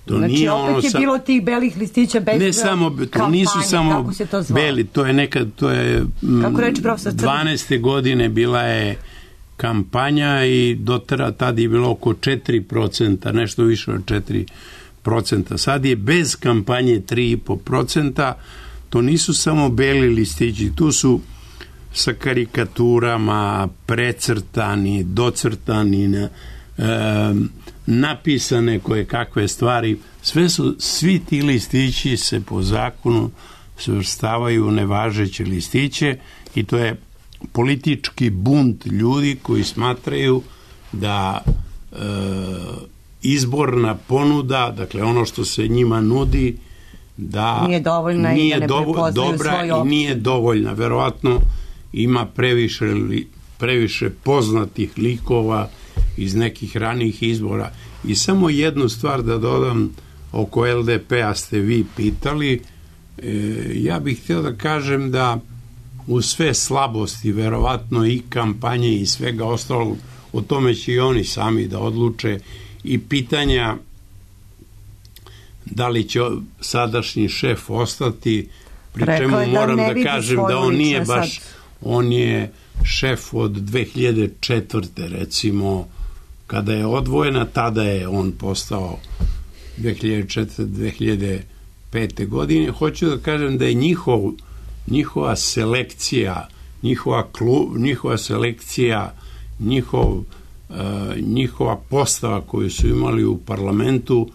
To znači, nije opet ono je sa... bilo tih belih listića bez ne samo, to kampanje, nisu samo to beli, to je nekad, to je kako reći profesor Crni? dvanaeste godine bila je kampanja i dotera tad je bilo oko četiri procenta, nešto više od četiri procenta. Sad je bez kampanje tri i po procenta. To nisu samo beli listići, tu su sa karikaturama, precrtani, docrtani, e, napisane koje kakve stvari. Sve su, svi ti listići se po zakonu svrstavaju u nevažeće listiće i to je politički bunt ljudi koji smatraju da e, izborna ponuda, dakle ono što se njima nudi, da nije dovoljna nije i da ne dovo, dobra i nije dovoljna. Verovatno ima previše, previše poznatih likova iz nekih ranijih izbora. I samo jednu stvar da dodam, oko L D P-a ste vi pitali, e, ja bih htio da kažem da u sve slabosti, verovatno i kampanje i svega ostalog, o tome će i oni sami da odluče, i pitanja da li će sadašnji šef ostati, pri čemu moram da, da kažem da on nije baš, sad. On je šef od dve hiljade četvrte recimo, kada je odvojena, tada je on postao dve hiljade četvrte do dve hiljade pete godine. Hoću da kažem da je njihov njihova selekcija, njihova klub, njihova selekcija, njihov, uh, njihova postava koju su imali u parlamentu,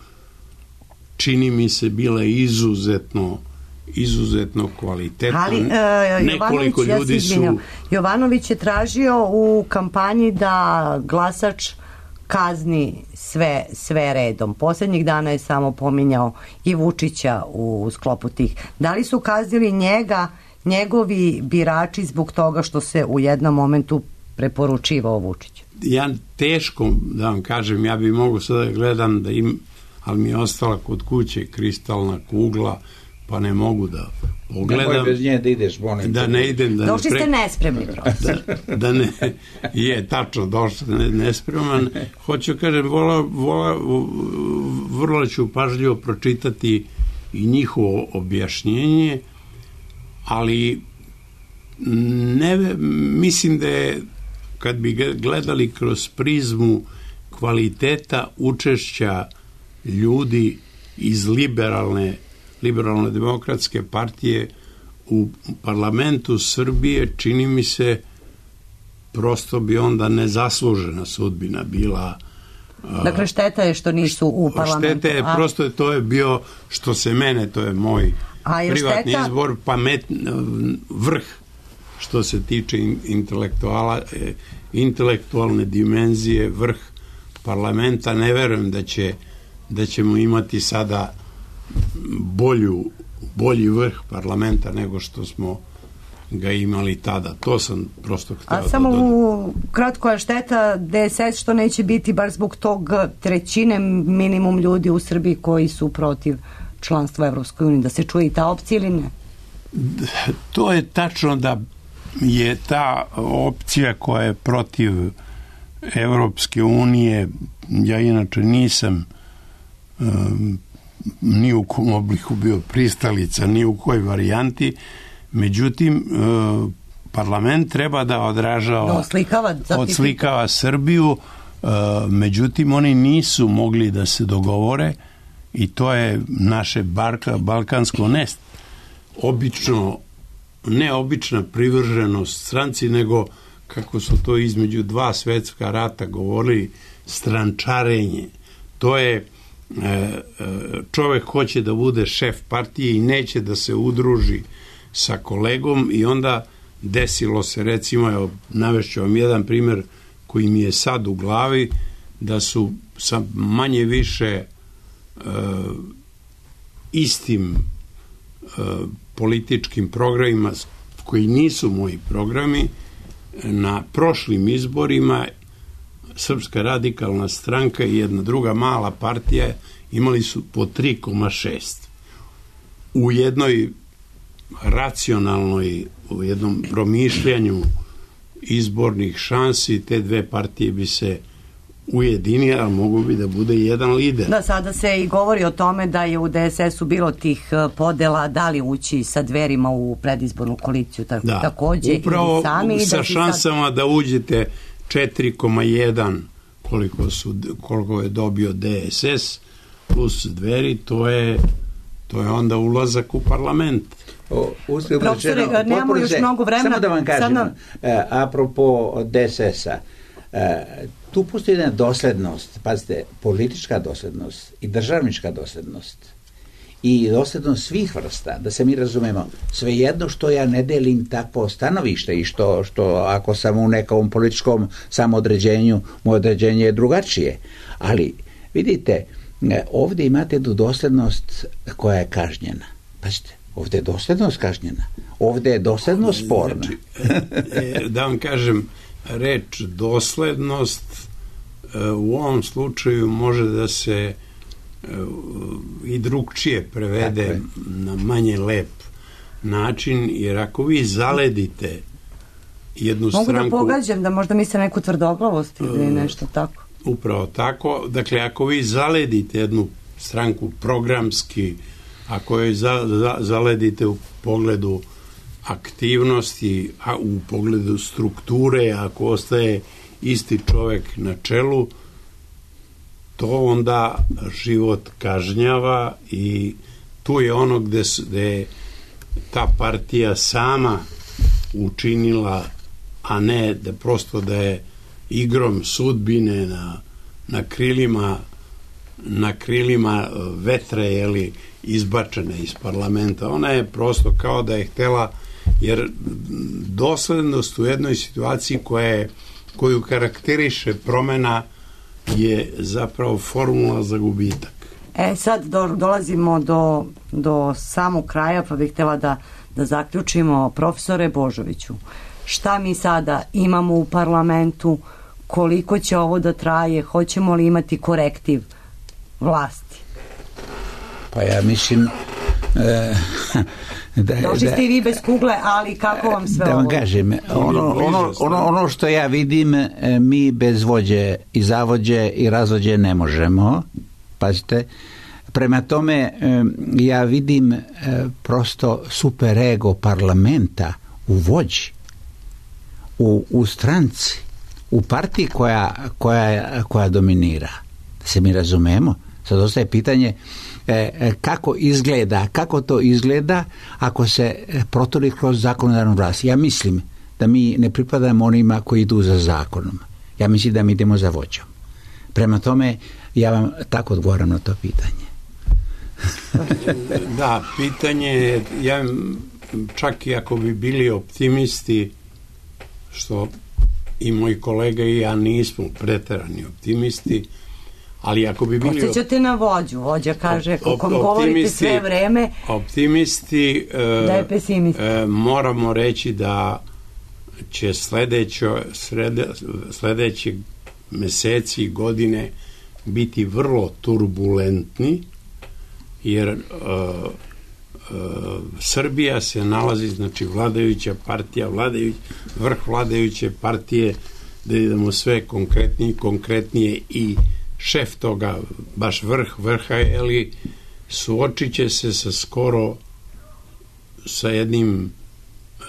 čini mi se bila izuzetno izuzetno kvalitetno. Ali, uh, nekoliko Jovanović, ljudi ja su... Jovanović je tražio u kampanji da glasač kazni sve, sve redom. Posljednjih dana je samo pominjao i Vučića u sklopu tih. Da li su kaznili njega, njegovi birači zbog toga što se u jednom momentu preporučivao Vučić? Ja teško da vam kažem, ja bi mogu sada da gledam, da im, ali mi je ostala kod kuće kristalna kugla, pa ne mogu da pogledam. Nemoj bez nje da ideš, molim. Da ne idem. Da došli ne pre... ste nespremni, da, da ne, je, tačno, došli ne, nespreman. Hoću kažem, vola, vola, vrlo ću pažljivo pročitati i njihovo objašnjenje, ali ne, mislim da je, kad bi gledali kroz prizmu kvaliteta učešća ljudi iz liberalne liberalno demokratske partije u parlamentu Srbije, čini mi se prosto bi onda nezaslužena sudbina bila. Dakle, šteta je što nisu u parlamentu. Šteta je, a? prosto je, to je bio, što se mene, to je moj je privatni šteta? izbor, pamet, vrh što se tiče intelektuala, intelektualne dimenzije, vrh parlamenta. Ne verujem da će da ćemo imati sada bolju, bolji vrh parlamenta nego što smo ga imali tada. To sam prosto htio da A samo u kratko je šteta D S S što neće biti baš zbog tog trećine minimum ljudi u Srbiji koji su protiv članstva Evropskoj uniji, da se čuje i ta opcija ili ne? To je tačno da je ta opcija koja je protiv Evropske unije, ja inače nisam um, ni u kom obliku bio pristalica, ni u kojoj varijanti, međutim parlament treba da odražava, da oslikava, odslikava Srbiju, uh, međutim oni nisu mogli da se dogovore i to je naše barka, balkansko nest. Obično, ne obična privrženost stranci, nego kako su to između dva svetska rata govorili, strančarenje. To je čovek hoće da bude šef partije i neće da se udruži sa kolegom i onda desilo se, recimo, evo, navešću vam jedan primjer koji mi je sad u glavi, da su sa manje više e, istim e, političkim programima koji nisu moji programi, na prošlim izborima Srpska radikalna stranka i jedna druga mala partija imali su po tri zarez šest. U jednoj racionalnoj, u jednom promišljanju izbornih šansi, te dve partije bi se ujedinile, a mogu bi da bude jedan lider. Da, sada se i govori o tome da je u D S S-u bilo tih podela, da li ući sa Dverima u predizbornu koaliciju tako, da, takođe upravo ili sami. Sa da šansama sad... da uđete četiri zarez jedan koliko, su, koliko je dobio D S S plus Dveri, to je, to je onda ulazak u parlament. O, uspio Profesore, nemamo još mnogo vremena. Samo da vam kažem, nam... e, apropo D S S-a, e, tu postoji jedna doslednost, pazite, politička doslednost i državnička doslednost i doslednost svih vrsta, da se mi razumemo, svejedno što ja ne delim takvo stanovište i što, što ako sam u nekom političkom samoodređenju, moje određenje je drugačije, ali vidite, ovdje imate jednu doslednost koja je kažnjena. Pazite, ovdje je doslednost kažnjena, ovdje je doslednost sporna. Znači, e, da vam kažem, reč doslednost e, u ovom slučaju može da se e, i drugčije prevede na manje lep način, jer ako vi zaledite jednu Mogu stranku... Mogu da pogađam da možda misle neku tvrdoglavost ili e, nešto tako. Upravo tako. Dakle, ako vi zaledite jednu stranku programski, ako je za, za, zaledite u pogledu aktivnosti, a u pogledu strukture, ako ostaje isti čovek na čelu, to onda život kažnjava i tu je ono gde, gde je ta partija sama učinila, a ne da prosto da je igrom sudbine na, na krilima na krilima vetra jeli, izbačena iz parlamenta. Ona je prosto kao da je htela, jer doslednost u jednoj situaciji koja je, koju karakteriše promena je zapravo formula za gubitak. E sad do, dolazimo do, do samog kraja, pa bih htjela da, da zaključimo. Profesore Božoviću, šta mi sada imamo u parlamentu, koliko će ovo da traje, hoćemo li imati korektiv vlasti? Pa ja mislim e, da, došli ste i vi bez kugle, ali kako vam sve da ovo? Da vam kažem, ono, ono, ono, ono što ja vidim, mi bez vođe i zavođe i razvođe ne možemo, pazite, prema tome ja vidim prosto superego parlamenta u vođi, u, u stranci, u partiji koja, koja, koja dominira. Da se mi razumemo, sad ostaje pitanje e, kako izgleda, kako to izgleda ako se protori kroz zakonodavnu vlast. Ja mislim da mi ne pripadamo onima koji idu za zakonom. Ja mislim da mi idemo za vođom. Prema tome, ja vam tako odgovaram na to pitanje. Da, pitanje, ja čak i ako bi bili optimisti, što i moji kolega i ja nismo preterani optimisti, ali ako bi bili... Osjećate na vođu, vođa kaže, kako govorite sve vreme, optimisti, da je pesimist. E, moramo reći da će sledeće, srede, sledeće meseci i godine biti vrlo turbulentni, jer e, e, Srbija se nalazi, znači vladajuća partija, vladajuć, vrh vladajuće partije, da idemo sve konkretnije, konkretnije i šef toga, baš vrh vrha, eli suočit će se sa skoro sa jednim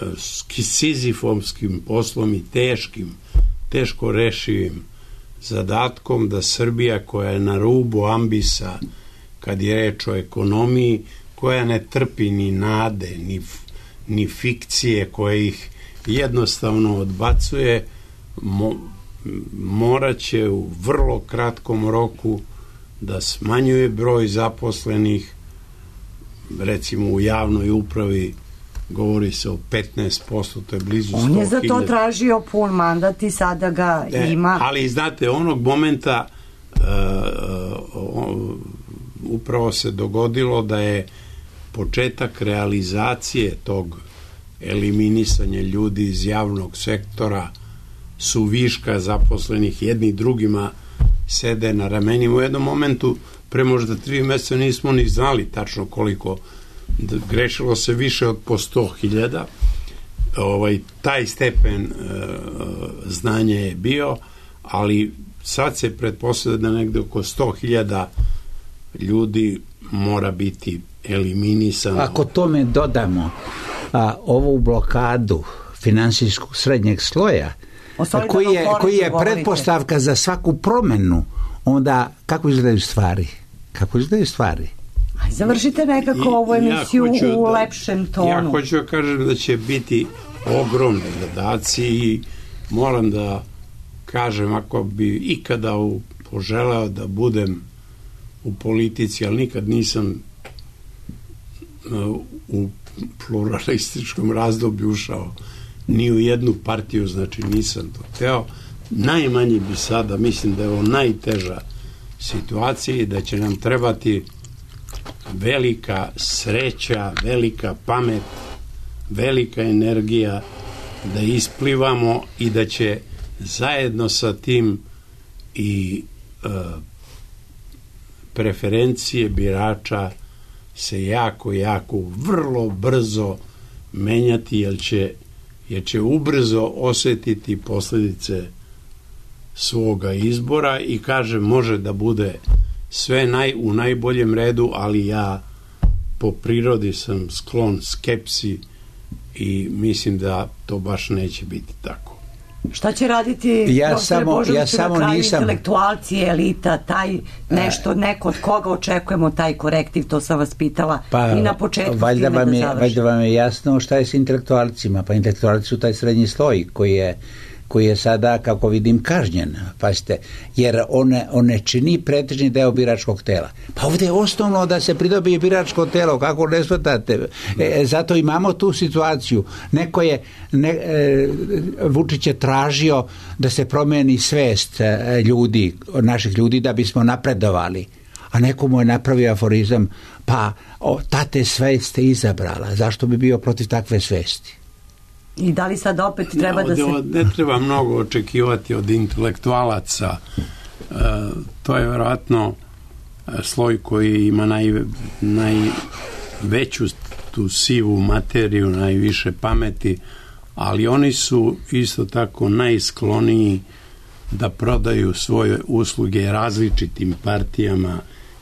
e, sizifovskim poslom i teškim, teško rešivim zadatkom da Srbija koja je na rubu ambisa kad je reč o ekonomiji, koja ne trpi ni nade, ni, ni fikcije, koja ih jednostavno odbacuje, mo, morat će u vrlo kratkom roku da smanjuje broj zaposlenih, recimo u javnoj upravi govori se o petnaest posto, to je blizu sto hiljada. On je za to tražio pun mandat i sada ga e, ima. Ali znate, onog momenta uh, uh, upravo se dogodilo da je početak realizacije tog eliminisanja ljudi iz javnog sektora su viška zaposlenih, jedni drugima sede na ramenima. U jednom momentu, pre možda tri meseca nismo ni znali tačno koliko, grešilo se više od po sto hiljada. Ovaj, taj stepen e, znanja je bio, ali sad se pretpostavlja da negde oko sto hiljada ljudi mora biti eliminisano. Ako tome dodamo a, ovu blokadu finansijskog srednjeg sloja, koji je, koji je pretpostavka za svaku promenu, onda kako izgledaju stvari? Kako izgledaju stvari? Aj, završite nekako I, ovu emisiju ja u da, lepšem tonu. Ja hoću da kažem da će biti ogromni zadaci i moram da kažem, ako bi ikada u, poželeo da budem u politici, ali nikad nisam uh, u pluralističkom razdoblju ušao ni u jednu partiju, znači nisam to hteo. Najmanje bi sada, mislim da je ovo najteža situacija i da će nam trebati velika sreća, velika pamet, velika energija da isplivamo i da će zajedno sa tim i e, preferencije birača se jako, jako, vrlo brzo menjati, jer će, jer će ubrzo osetiti posljedice svoga izbora i kaže, može da bude sve naj, u najboljem redu, ali ja po prirodi sam sklon skepsi i mislim da to baš neće biti tako. Šta će raditi ja samo, ja samo na kraju nisam... intelektualci, elita, taj nešto, neko od koga očekujemo taj korektiv, to sam vas pitala pa, i na početku valjda time vam da je, završim. Valjda vam je jasno šta je s intelektualcima, pa intelektualci su taj srednji sloj koji je koji je sada, kako vidim, kažnjen, pazite, jer one, one čini pretežni deo biračkog tela. Pa ovdje je osnovno da se pridobije biračko telo, kako ne shvatate. E, zato imamo tu situaciju. Neko je, ne, e, Vučić je tražio da se promeni svest e, ljudi, naših ljudi, da bismo napredovali. A neko mu je napravio aforizam, pa o, tate svest ste izabrala, zašto bi bio protiv takve svesti? I da li sad opet treba no, da se... Ne treba mnogo očekivati od intelektualaca. E, to je vjerojatno sloj koji ima naj, najveću tu sivu materiju, najviše pameti, ali oni su isto tako najskloniji da prodaju svoje usluge različitim partijama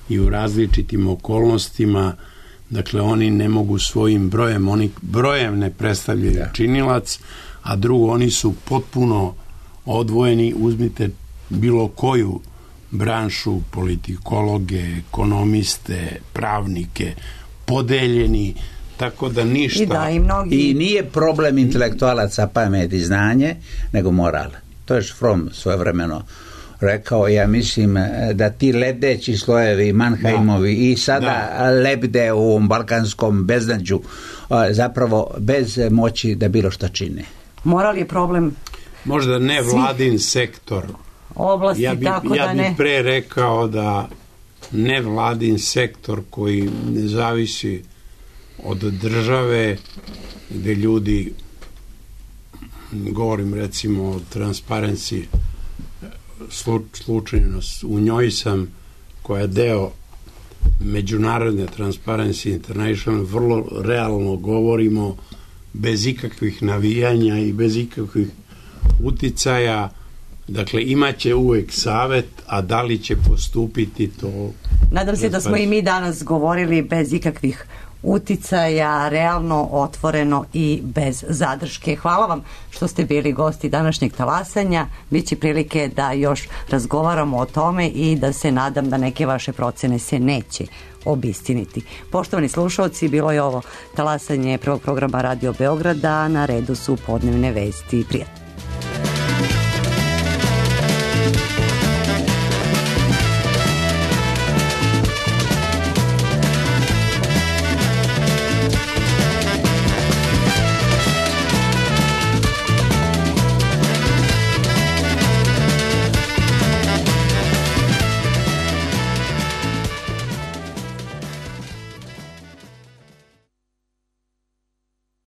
i u različitim okolnostima. Dakle, oni ne mogu svojim brojem, oni brojem ne predstavljaju ja. činilac, a drugo, oni su potpuno odvojeni. Uzmite bilo koju branšu, politikologe, ekonomiste, pravnike, podeljeni, tako da ništa... I, da, i, mnogi... I nije problem intelektualaca pamet i znanje, nego moral. To je Fromm svojevremeno rekao, ja mislim da ti ledeći slojevi Mannheimovi da. i sada da. lebde u ovom balkanskom beznađu zapravo bez moći da bilo šta čine. Moral je problem. Možda ne vladin sektor. Oblasti, ja bi, tako ja da bi ne. pre rekao da ne vladin sektor koji ne zavisi od države, gde ljudi, govorim recimo o Transparency, slučajno u njoj sam, koja je deo međunarodne Transparency International, vrlo realno govorimo, bez ikakvih navijanja i bez ikakvih uticaja. Dakle, imaće uvek savet, a da li će postupiti to... Nadam se da smo i mi danas govorili bez ikakvih uticaja, realno, otvoreno i bez zadrške. Hvala vam što ste bili gosti današnjeg talasanja. Biće prilike da još razgovaramo o tome i da se nadam da neke vaše procene se neće obistiniti. Poštovani slušalci, bilo je ovo talasanje prvog programa Radio Beograda, na redu su podnevne vesti. Prijatno.